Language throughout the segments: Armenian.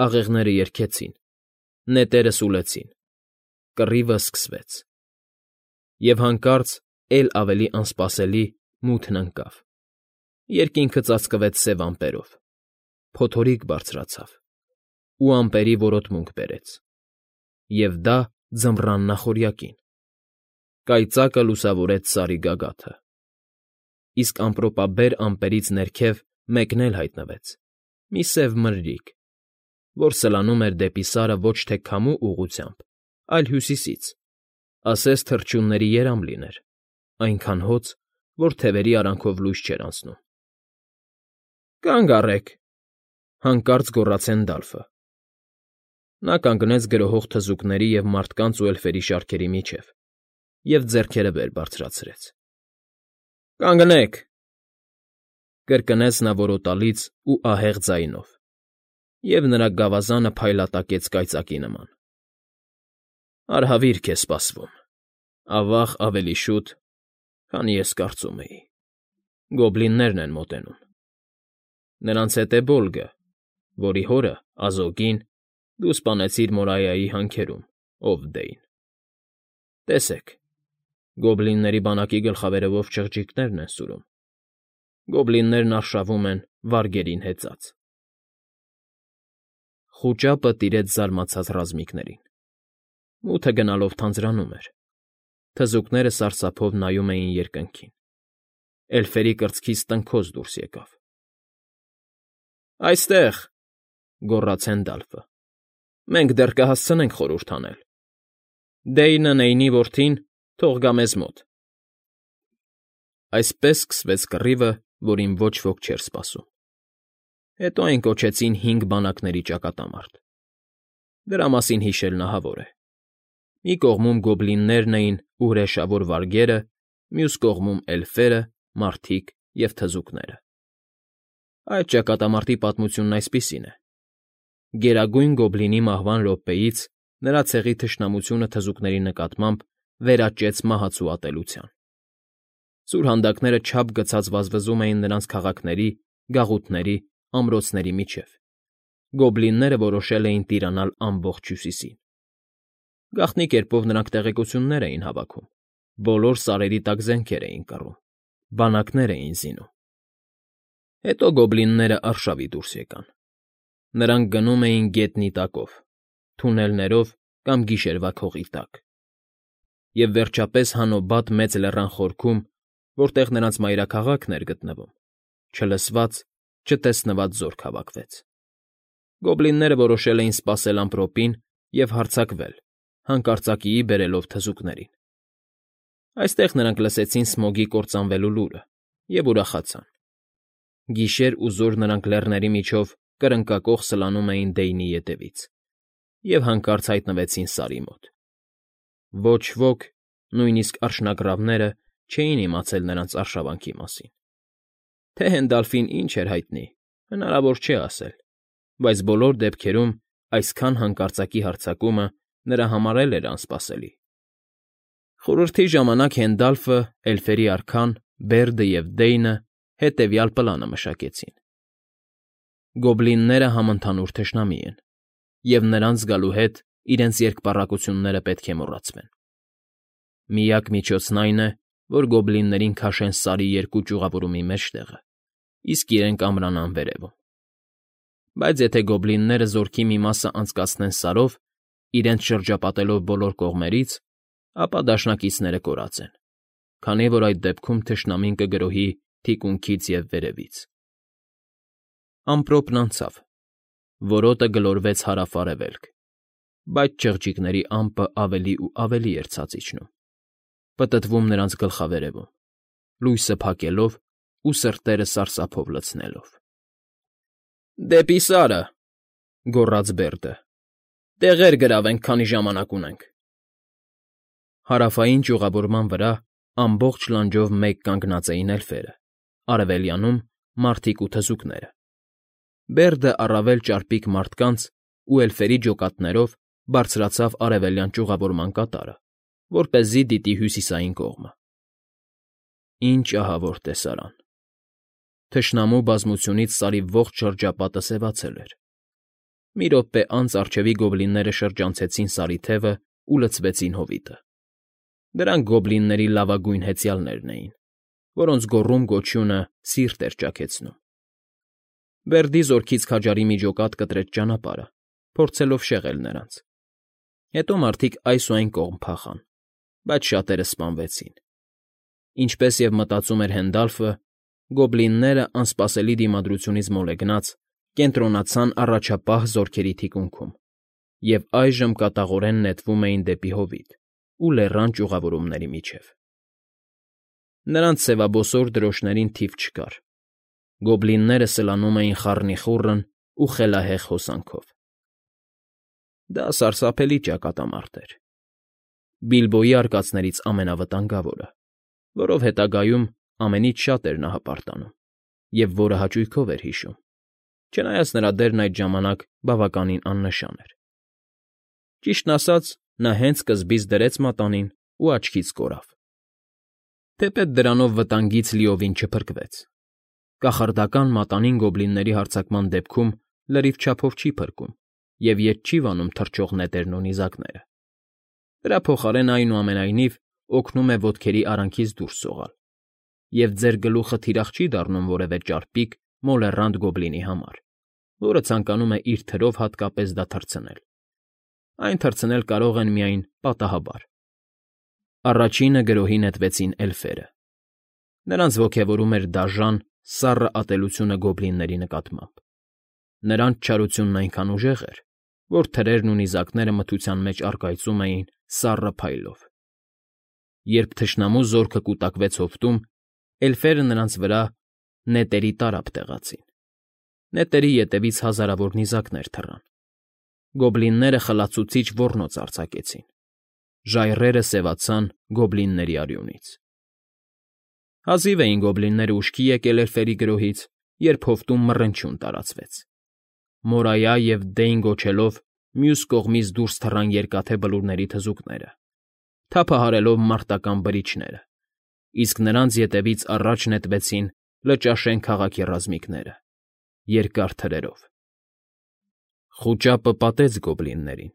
Աղեղները երգեցին, նետերը սուլեցին, կռիվը սկսվեց… Եվ հանկարծ էլ ավելի անսպասելի մութն ընկավ, երկինքը ծածկվեց սև ամպերով, փոթորիկ բարձրացավ ու ամպերի որոտմունք բերեց, և դա ձմռան նախօրյակին, կայծակը լուսավորեց Սարի գագաթը, իսկ ամպրոպաբեր ամպերից ներքև մեկն էլ հայտնվեց՝ մի սև մրրիկ, որ սլանում էր դեպի Սարը ոչ թե քամու ուղղությամբ, այլ հյուսիսից, ասես թռչունների երամ լիներ, այնքան հոծ, որ թևերի արանքով լույս չէր անցնում։ ֊ Կանգ առեք,֊ հանկարծ գոռաց Հենդալֆը. նա կանգնեց գրոհող թզուկների և մարդկանց ու էլֆերի շարքերի միջև և ձեռքերը վեր բարձրացրեց։ ֊ Կանգնեք,֊ կրկնեց նա որոտալից ու ահեղ ձայնով, և նրա գավազանը փայլատակեց կայծակի նման։ ֊ Արհավիրք է սպասվում, ավա՜ղ ավելի շուտ, քան ես կարծում էի, գոբլիններն են մոտենում… Նրանց հետ է Բոլգը, որի հորը՝ Ազոգին, դու սպանեցիր Մորայայի հանքերում, ով Դեյն… Տեսեք, գոբլինների բանակի գլխավերևով չղջիկներն են սուրում, գոբլիններն արշավում են վարգերին հեծած… Խուճապը տիրեց զարմացած ռազմիկներին, մութը գնալով թանձրանում էր, թզուկները սրասափով նայում էին երկնքին, էլֆերի կրծքից տնքոց դուրս եկավ։ ֊ Այստեղ,֊ գոռաց Հենդալֆը,֊ մենք դեռ կհասցնենք խորհուրդ անել… Դեյնը, Նեյնի որդին, թող գա մեզ մոտ… Այսպես սկսվեց կռիվը, որին ոչ ոք չէր սպասում։ Հետո այն կոչեցին հինգ բանակների ճակատամարտ… Դրա մասին հիշելն ահավոր է. մի կողմում գոբլիններն էին ու հրեշավոր վարգերը, մյուս կողմում՝ էլֆերը, մարդիկ և թզուկները… Այդ ճակատամարտի պատմությունն այսպիսին է. Գերագույն Գոբլինի մահվան րոպեից նրա ցեղի թշնամությունը թզուկների նկատմամբ վերաճեց մահացու ատելության. սուրհանդակները չափ գցած վազվզում էին նրանց քաղաքների, գաղութների, ամրոցների միջև, գոբլինները որոշել էին տիրանալ ամբողջ Հյուսիսին… Գաղտնի կերպով նրանք տեղեկություններ էին հավաքում, բոլոր սարերի տակ զենքեր էին կռում, բանակներ էին զինում… Հետո գոբլիններն արշավի դուրս եկան… Նրանք գնում էին գետնի տակով, թունելներով կամ գիշերվա քողի տակ… Եվ վերջապես Հանոբադ մեծ լեռան խորքում, որտեղ նրանց մայրաքաղաքն էր գտնվում, չլսված, չտեսնված զորք հավաքվեց… Գոբլինները որոշել էին սպասել ամպրոպին և հարձակվել, հանկարծակիի բերելով թզուկներին… Այստեղ նրանք լսեցին Սմոգի կործանվելու լուրը և ուրախացան… Գիշեր ու զօր նրանք լեռների միջով կրկնակոխ սլանում էին Դեյնի ետևից և հանկարծ հայտնվեցին Սարի մոտ… Ոչ ոք, նույնիսկ արջնագռավները չէին իմացել նրանց արշավանքի մասին… Թե Հենդալֆին ինչ էր հայտնի, հնարավոր չէ ասել, բայց բոլոր դեպքերում այսքան հանկարծակի հարձակումը նրա համար էլ էր անսպասելի… Խորհրդի ժամանակ Հենդալֆը, էլֆերի արքան, Բերդը և Դեյնը հետևյալ պլանը մշակեցին. Գոբլինները համընդհանուր թշնամի են, և նրանց գալու հետ իրենց երկպառակտությունները պետք է մոռացվեն… Միակ միջոցն այն է, որ գոբլիններին քաշեն Սարի երկու ճյուղավորումի մեջտեղը, իսկ իրենք ամրանան վերևում… Բայց եթե գոբլինները զորքի մի մասը անցկացնեն Սարով, իրենց շրջապատելով բոլոր կողմերից, ապա դաշնակիցները կորած են, քանի որ այդ դեպքում թշնամին կգրոհի թիկունքից և վերևից… Ամպրոպն անցավ, որոտը գլորվեց հարավ֊արևելք, բայց չղջիկների ամպը ավելի ու ավելի էր ցած իջնում, պտտվում նրանց գլխավերևում, լույսը փակելով ու սրտերը սարսափով լցնելով։ ֊ Դեպի Սարը,֊ գոռաց Բերդը,֊ տեղեր գրավենք, քանի ժամանակ ունենք… Հարավային ճյուղավորման վրա ամբողջ լանջով մեկ կանգնած էին էլֆերը, արևելյանում՝ մարդիկ ու թզուկները… Բերդը առավել ճարպիկ մարդկանց ու էլֆերի ջոկատներով բարձրացավ արևելյան ճյուղավորման կատարը, որպեսզի դիտի հյուսիսային կողմը… Ինչ ահավոր տեսարան… Թշնամու բազմությունից Սարի ողջ շրջապատը սևացել էր… Մի րոպե անց առջևի գոբլինները շրջանցեցին Սարի թևն ու լցվեցին հովիտը։ Դրանք գոբլինների լավագույն հեծյալներն էին, որոնց գոռում-գոչյունը սիրտ էր ճաքեցնում։ Բերդի զորքից քաջարի մի ջոկատ կտրեց ճանապարհը, փորձելով շեղել նրանց։ Հետո մարդիկ այս ու այն կողմ փախան, բայց շատերը սպանվեցին։ Ինչպես և մտածում էր Հենդալֆը, գոբլինները, անսպասելի դիմադրությունից մոլեգնած, կենտրոնացան առաջապահ զորքերի թիկունքում և այժմ կատաղորեն նետվում էին դեպի հովիտ ու լեռան ճյուղավորումների միջև։ Նրանց սևաբոսոր դրոշներին թիվ չկար։ Գոբլինները սլանում էին խառնիխուռն ու խելահեղ հոսանքով։ Դա սարսափելի ճակատամարտ էր։ Բիլբոյի արկածներից ամենավտանգավորը, որով հետագայում ամենից շատ էր նա հպարտանում և որը հաճույքով էր հիշում, չնայած նրա դերն այդ ժամանակ բավականին աննշան էր։ Ճիշտն ասած, նա հենց սկզբից դրեց մատանին ու աչքից կորավ։ Թեպետ դրանով վտանգից լիովին չփրկվեց։ Կախարդական մատանին գոբլինների հարձակման դեպքում լրիվ չափով չի փրկում և ետ չի վանում թռչող նետերն ու նիզակները։ Դրա փոխարեն, այնուամենայնիվ, օգնում է ոտքերի արանքից դուրս սողալ, և ձեր գլուխը թիրախ չի դառնում որևէ ճարպիկ, մոլեռանդ գոբլինի համար, որը ցանկանում է իր թրով հատկապես դա թռցնել։ Այն թռցնել կարող են միայն պատահաբար։ Առաջինը գրոհի նետվեցին էլֆերը։ Նրանց ոգևորում էր դաժան, սառը ատելությունը գոբլինների նկատմամբ։ Նրանց չարությունն այնքան ուժեղ էր, որ թրերն ու նիզակները մթության մեջ առկայծում էին սառը փայլով։ Երբ թշնամու զորքը կուտակվեց հովտում, էլֆերը նրանց վրա նետերի տարափ տեղացին։ Նետերի ետևից հազարավոր նիզակներ թռան։ Գոբլինները խլացուցիչ ոռնոց արձակեցին։ Ժայռերը սևացան գոբլինների արյունից։ Հազիվ էին գոբլինները ուշքի եկել էլֆերի գրոհից, երբ հովտում մռնչյուն տարածվեց։ Մորայա և Դեյն գոչելով մյուս կողմից դուրս թռան երկաթե բլուրների թզուկները, թափահարելով մարտական բրիչները, իսկ նրանց ետևից առաջ նետվեցին Լճաշեն քաղաքի ռազմիկները՝ երկար թրերով։ Խուճապը պատեց գոբլիններին։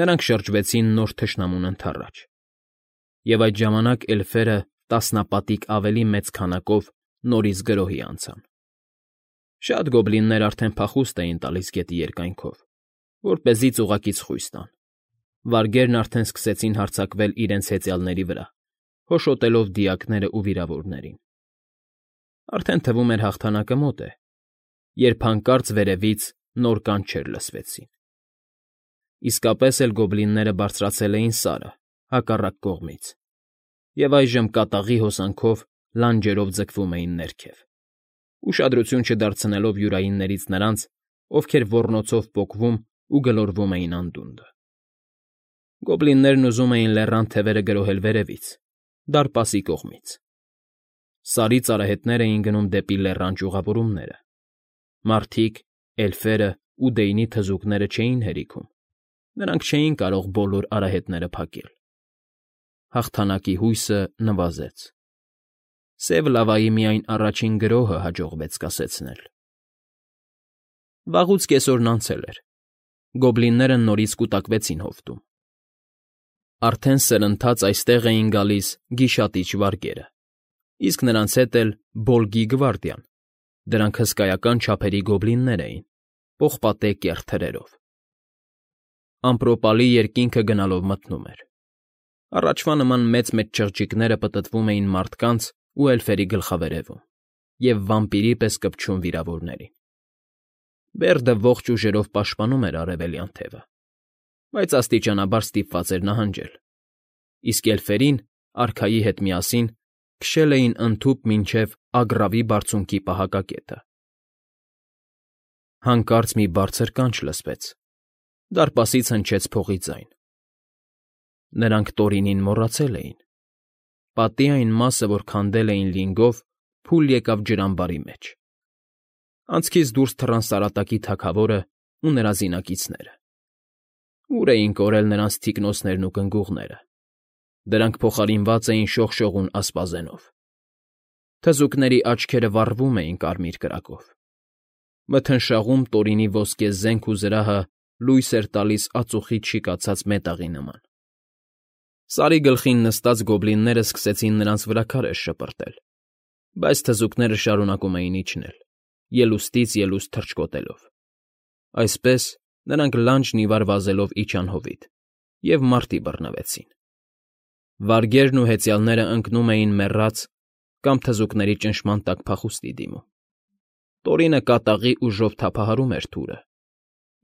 Նրանք շրջվեցին նոր թշնամուն ընդառաջ, և այդ ժամանակ էլֆերը տասնապատիկ ավելի մեծ քանակով նորից գրոհի անցան։ Շատ գոբլիններ արդեն փախուստ էին տալիս գետի երկայնքով, որպեսզի ծուղկից խույս տան։ Վարգերն արդեն սկսեցին հարձակվել իրենց հեծյալների վրա, հոշոտելով դիակներն ու վիրավորներին։ Արդեն թվում էր հաղթանակը մոտ է, երբ հանկարծ վերևից նոր կանչեր լսվեցին։ Իսկապես էլ գոբլինները բարձրացել էին Սարը, հակառակ կողմից, և այժմ կատաղի հոսանքով լանջերով ձգվում էին ներքև, ուշադրություն չդարձնելով յուրայիններից նրանց, ովքեր ոռնոցով պոկվում ու գլորվում էին անդունդը։ Գոբլիններն ուզում էին լեռան թևերը գրոհել վերևից, դարպասի կողմից։ Սարից արահետներ էին գնում դեպի լեռան ճյուղավորումները։ Մարդիկ, էլֆերը ու Դեյնի թզուկները չէին հերիքում, նրանք չէին կարող բոլոր արահետները փակել։ Հաղթանակի հույսը նվազեց։ Սև լավայի միայն առաջին գրոհը հաջողվեց կասեցնել։ Վաղուց կեսօրն անցել էր։ Գոբլինները նորից կուտակվեցին հովտում։ Արդեն սրընթաց այստեղ էին գալիս գիշատիչ վարգերը, իսկ նրանց հետ էլ Բոլգի գվարդիան։ Դրանք հսկայական չափերի գոբլիններ էին, պողպատե կեռ թրերով։ Ամպրոպի երկինքը գնալով մթնում էր։ Առաջվա նման մեծ-մեծ չղջիկները պտտվում էին մարդկանց ու էլֆերի գլխավերևում և վամպիրի պես կպչում վիրավորներին։ Բերդը ողջ ուժերով պաշտպանում էր արևելյան թևը, բայց աստիճանաբար ստիպված էր նահանջել, իսկ էլֆերին, արքայի հետ միասին, քշել էին ընդհուպ մինչև Ագռավի Բարձունքի պահակակետը։ Հանկարծ մի բարձր կանչ լսվեց, դարպասից հնչեց փողի ձայն։ Նրանք Տորինին մոռացել էին։ Պատի այն մասը, որ քանդել էին լինգով, փուլ եկավ ջրամբարի մեջ։ Անցքից դուրս թռան Սարատակի թագավորն ու նրա զինակիցները։ Ուր էին կորել նրանց թիկնոցներն ու կնգուղները։ Դրանք փոխարինված էին շողշողուն ասպազենով։ Թզուկների աչքերը վառվում էին կարմիր կրակով։ Մթնշաղում Տորինի ոսկե զենք ու զրահը լույս էր տալիս ածուխից շիկացած մետաղի նման։ Սարի գլխին նստած գոբլինները սկսեցին նրանց վրա քարեր շպրտել, բայց թզուկները շարունակում էին իջնել, ելուստից ելուստ թռչկոտելով։ Այսպես նրանք լանջն ի վար վազելով իջան հովիտ և մարտի բռնվեցին։ Վարգերն ու հեծյալները ընկնում էին մեռած կամ թզուկների ճնշման տակ փախուստի դիմում։ Տորինը կատաղի ուժով թափահարում էր թուրը,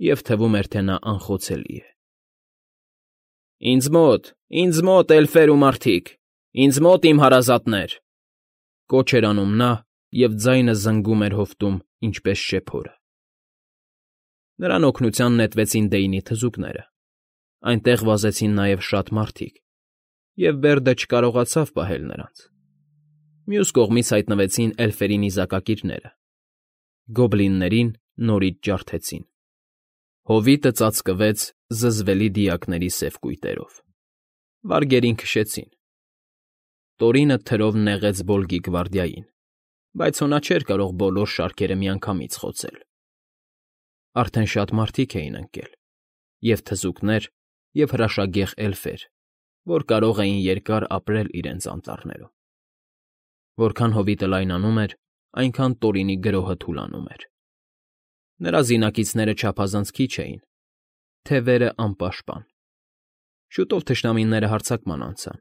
և թվում էր, թե նա անխոցելի է։ Ինձ մոտ, էլֆեր ու մարդիկ, ինձ մոտ, իմ հարազատներ, կոչ էր անում նա, և ձայնը զնգում էր հովտում, ինչպես շեփորը։ Նրան օգնության նետվեցին Դեյնի թզուկները, այնտեղ վազեցին նաև շատ մարդիկ, և Բերդը չկարողացավ պահել նրանց։ Մյուս կողմից հայտնվեցին էլֆերի նիզակակիրները, գոբլիններին նորից ջարդեցին։ Հովիտը ծածկվեց զզվելի դիակների սև կույտերով։ Վարգերին քշեցին։ Տորինը թրով նեղեց Բոլգի գվարդիային, բայց հո նա չէր կարող բոլոր շարքերը միանգամից խոցել։ Արդեն շատ մարդիկ էին ընկել, և թզուկներ, և հրաշագեղ էլֆեր, որ կարող էին երկար ապրել իրենց անտառներում։ Որքան հովիտը լայնանում էր, այնքան Տորինի գրոհը թուլանում էր։ Նրա զինակիցները չափազանց քիչ էին, թևերը անպաշտպան։ Շուտով թշնամիները հարձակման անցան,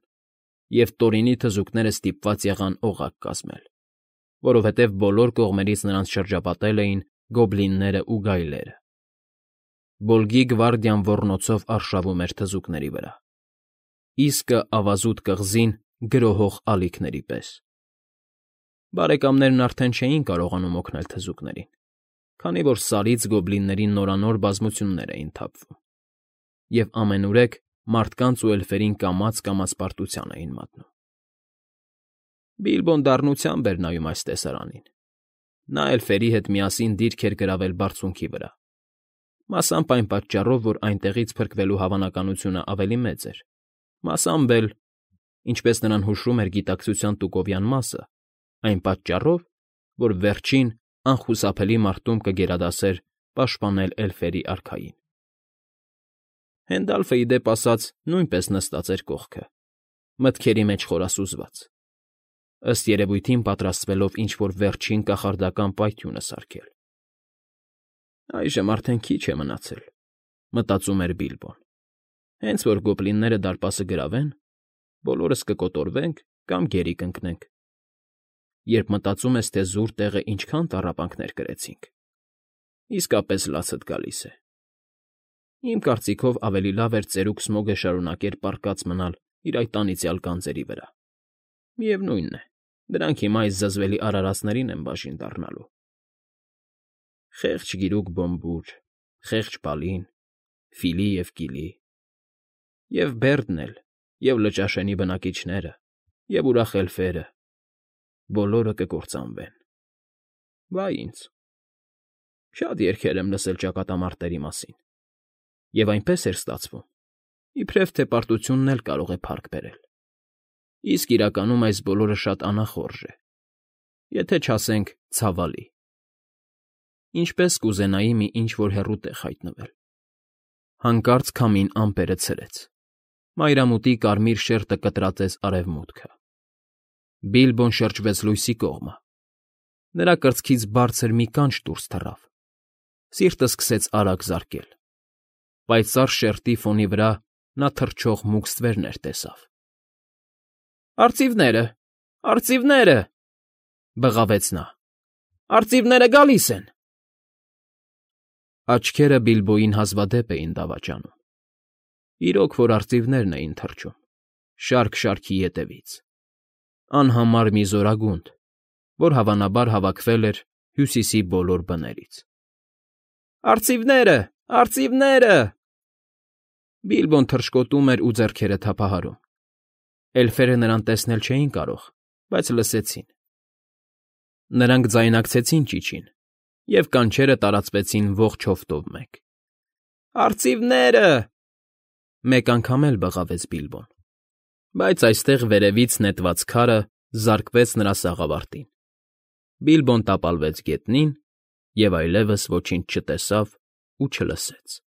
և Տորինի թզուկները ստիպված եղան օղակ կազմել, որովհետև բոլոր կողմերից նրանց շրջապատել էին գոբլինները ու գայլերը։ Բոլգի գվարդիան ոռնոցով արշավում էր թզուկների վրա, իսկը ավազուտ կղզին գրոհող ալիքների պես։ Բարեկամներն արդեն չէին կարողանում օգնել թզուկներին, քանի որ Սարից գոբլինների նորանոր բազմություններ էին թափվում, և ամենուրեք մարդկանց ու էլֆերին կամաց պարտության էին մատնում։ Բիլբոն դառնությամբ էր նայում այս տեսարանին։ Նա էլֆերի հետ միասին դիրք էր գրավել բարձունքի վրա, մասամբ այն պատճառով, որ այնտեղից փրկվելու հավանականությունը ավելի մեծ էր, մասամբ էլ, ինչպես նրան հուշում էր գիտակցության տուկովյան մասը, այն պատճառով, որ վերջին անխուսափելի մարտում կգերադասեր պաշտպանել էլֆերի արքային։ Հենդալֆը, ի դեպ ասած, նույնպես նստած էր կողքը, մտքերի մեջ խորասուզված, ըստ երևույթին պատրաստվելով ինչ֊որ վերջին կախարդական պայթյունը սարքել։ «Այժմ արդեն քիչ է մնացել», մտածում էր Բիլբոն։ «Հենց որ գոբլինները դարպասը գրավեն, բոլորս կկոտորվենք կամ գերի կընկնենք։ Երբ մտածում ես, թե զուր տեղը ինչքան տառապանքներ կրեցինք, իսկապես լացդ գալիս է։ Իմ կարծիքով ավելի լավ էր ծերուկ Սմոգը շարունակեր պառկած մնալ իր այդ անիծյալ գանձերի վրա։ Միևնույն է, դրանք հիմա այս զզվելի արարածներին են բաժին դառնալու։ Խեղճ գիրուկ Բոմբուր, խեղճ Բալին, Ֆիլի և Կիլի, և Բերդն էլ, և Լճաշենի բնակիչները, և ուրախ էլֆերը, բոլորը կկործանվեն։ Վա ինձ։ Շատ երգեր եմ լսել ճակատամարտերի մասին, և այնպես էր ստացվում, իբրև թե պարտությունն էլ կարող է փառք բերել։ Իսկ իրականում այս բոլորը շատ անախորժ է, եթե չասենք ցավալի։ Ինչպես կուզենայի մի ինչ֊որ հեռու տեղ հայտնվել։ Հանկարծ քամին ամպերը ցրեց։ Մայրամուտի կարմիր շերտը կտրատեց արևմուտքը։ Բիլբոն շրջվեց լույսի կողմը։ Նրա կրծքից բարձր մի կանչ դուրս թռավ։ Սիրտը սկսեց արագ զարկել։ Պայծառ շերտի ֆոնի վրա նա թռչող մուգ ստվերներ տեսավ։ «Արծիվները… Արծիվները…֊ բղավեց նա։֊ Արծիվները գալիս են»։ Աչքերը Բիլբոյին հազվադեպ էին դավաճանում։ Իրոք որ արծիվներն էին թռչում, շարք֊շարքի ետևից, անհամար մի զորագունդ, որ հավանաբար հավաքվել էր Հյուսիսի բոլոր բներից։ «Արծիվները… Արծիվները…» Բիլբոն թռչկոտում էր ու ձեռքերը թափահարում։ Էլֆերը նրան տեսնել չէին կարող, բայց լսեցին։ Նրանք ձայնակցեցին ճիչին, և կանչերը տարածվեցին ողջ հովտով մեկ։ «Արծիվները…» Մեկ անգամ էլ բղավեց Բիլբոն, բայց այստեղ վերևից նետված քարը զարկվեց նրա սաղավարտին։ Բիլբոն տապալվեց գետնին Եվ այլևս ոչինչ չտեսավ ու չլսեց։